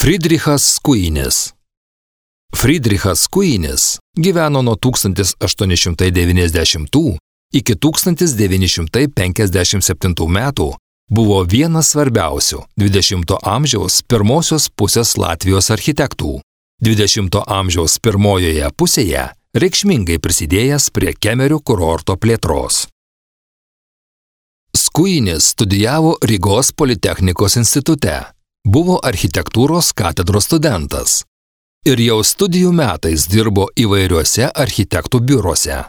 Friedrichas Skuinis. Friedrichas Skuinis gyveno nuo 1890 iki 1957 metų, buvo vienas svarbiausių 20 amžiaus pirmosios pusės Latvijos architektų. 20 amžiaus pirmojoje pusėje reikšmingai prisidėjęs prie Kemerių kurorto plėtros. Skuinis studijavo Rygos Politechnikos institute, buvo architektūros katedros studentas ir jau studijų metais dirbo įvairiuose architektų biuruose.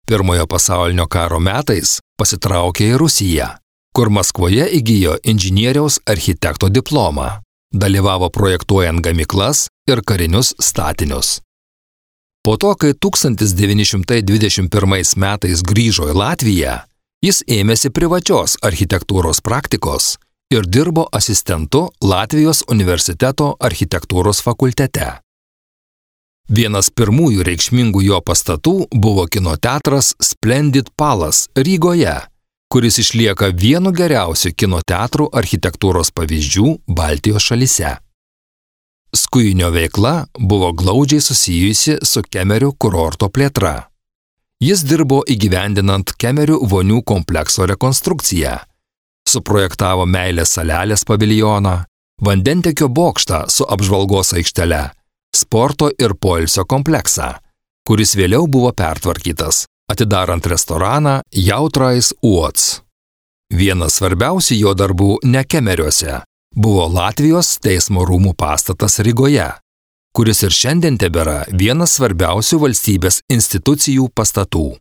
Pirmojo pasaulinio karo metais pasitraukė į Rusiją, kur Maskvoje įgijo inžinieriaus architekto diplomą, dalyvavo projektuojant gamyklas ir karinius statinius. Po to, kai 1921 metais grįžo į Latviją, jis ėmėsi privačios architektūros praktikos ir dirbo asistentu Latvijos universiteto architektūros fakultete. Vienas pirmųjų reikšmingų jo pastatų buvo kino teatras Splendid Palace Rygoje, kuris išlieka vienu geriausių kino teatrų architektūros pavyzdžių Baltijos šalyse. Skuinio veikla buvo glaudžiai susijusi su Kemerių kurorto plėtra. Jis dirbo įgyvendinant Kemerių vonių komplekso rekonstrukciją, suprojektavo Meilės salelės paviljoną, vandentiekio bokštą su apžvalgos aikštele, sporto ir poilsio kompleksą, kuris vėliau buvo pertvarkytas, atidarant restoraną Jautrais Uots. Vienas svarbiausių jo darbų ne Kemeriuose buvo Latvijos teismo rūmų pastatas Rygoje, kuris ir šiandien tebėra vienas svarbiausių valstybės institucijų pastatų.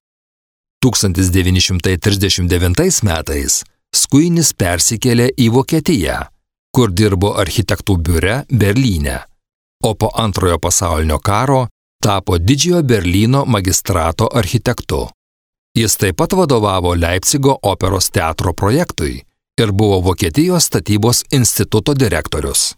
1939 metais Skuinis persikėlė į Vokietiją, kur dirbo architektų biure Berlyne, o po Antrojo pasaulinio karo tapo Didžiojo Berlyno magistrato architektu. Jis taip pat vadovavo Leipcigo operos teatro projektui ir buvo Vokietijos statybos instituto direktorius.